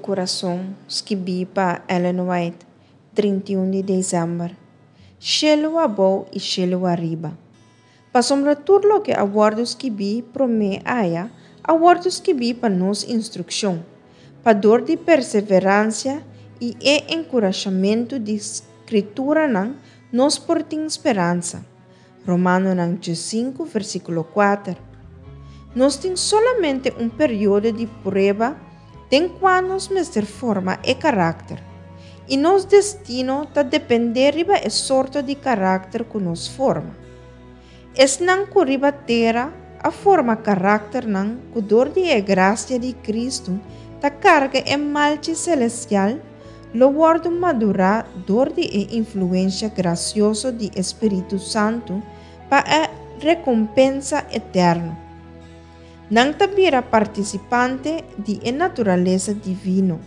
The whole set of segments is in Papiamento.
Kurason, skibí pa Ellen White, 31 di desèmber. Shelu abou i shelu ariba. Pasobra tur loke a wòrdu skibí promé aya a wòrdu skibí pa nos instrukshon, pa dor di perseveransia i e enkurashamentu di Skrituranan nos por tin speransa. Romanonan 5, versíkulo 4. Nos tin solamente un periodo di prueba den kua nos mester forma e karakter, i nos destino ta dependé riba e sorto di karakter ku nos forma. Esnan ku riba tera a forma karakternan ku dor di e grasia di Kristu ta karga e malchi selestial lo wòrdu madurá dor di e influensha grasioso di e Spiritu Santu pa e rekompensa eterno. Nan ta bira partisipante di e naturalesa divino,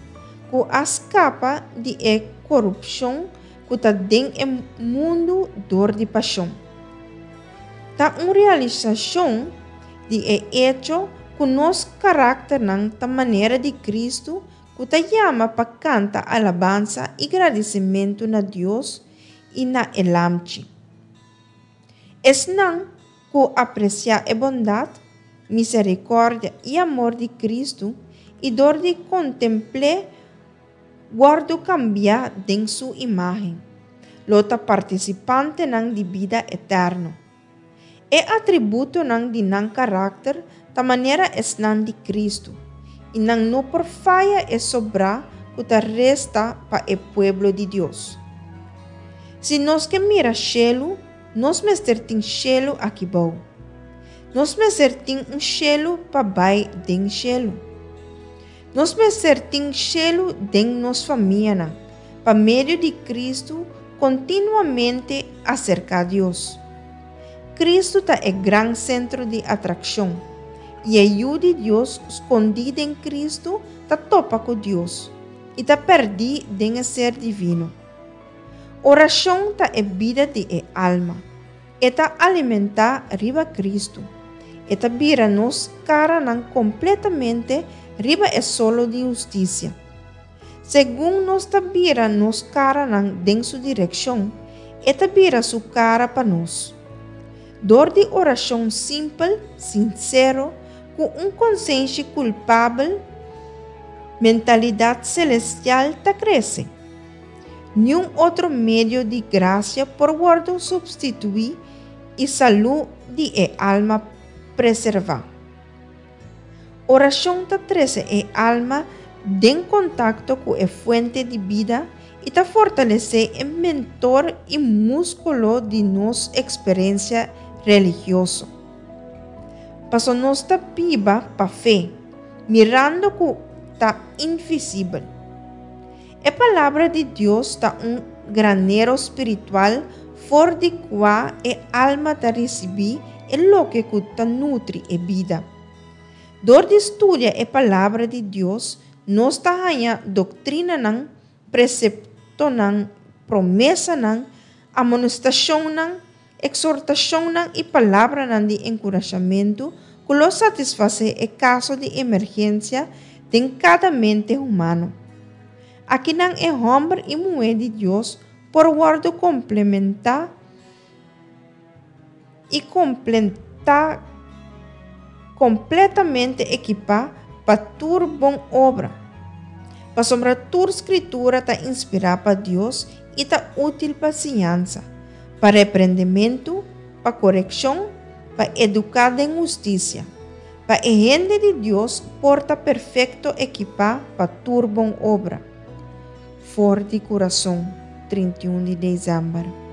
ku a skapa di e korupshon ku ta den e mundu dor di pashon. Ta un realisashon di e echo ku nos karakternan ta manera di Kristu ku ta yama pa kanta alabansa i gradisimentu na Dios i na e Lamchi. Esnan ku apresiá e bondat, miserikòrdia i amor di Kristu i dor di kontempl'é wòrdu kambiá den su imágen, lo ta partisipantenan di bida eterno. E atributonan di nan karakter ta manera esnan di Kristu, i nan no por faya e sobrá ku ta resta pa e pueblo di Dios. Si nos ke mira shelu, nos mester tin shelu aki bou. Nos mester tin un shelu pa bai den shelu. Nos mester tin shelu den nos famianan, pa medio di Kristu kontinuamente aserká Dios. Kristu ta e gran sentro di atrakshon, i e Yu di Dios skondí den Kristu ta topa ku Dios i ta pèrdí den e Ser Divino. Orashon ta e bida di e alma. E ta alimentá riba Kristu. E ta bira nos karanan kompletamente riba e solo di hustisia. Segun nos ta bira nos karanan den su direkshon, e ta bira su kara pa nos. Dor di orashon simpel, sinsero, ku un konsenshi kulpabel, mentalidat selestial ta krese. Niun otro medio di grasia por wòrdu supstituí i salú di e alma preservá. Orashon ta trese e alma den kontakto ku e fuente di bida i ta fortalesé e mentor i múskulo di nos eksperensia religioso. Paso nos ta biba pa fe, mirando ku ta invisibel. E Palabra di Dios ta un granero spiritual for di kua e alma ta risibí e loke ku ta nutri e bida. Dor di studia e Palabra di Dios, nos ta haña doktrinanan, preseptonan, promesanan, amonestashonnan, eksortashonnan i palabranan di enkurashamentu ku lo satisfasé e kaso di emergensia den kada mente humano. Akinan e hòmber i muhé di Dios por wòrdu komplementá i kompletá kompletamente ekipá pa tur bon obra. Pasobra tur Skritura ta inspirá pa Dios i ta útil pa siñansa, pa reprendementu, pa korekshon, pa eduká den hustisia, pa e hende di Dios por ta perfekto ekipá pa tur bon obra. For di kurason, 31 di desèmber.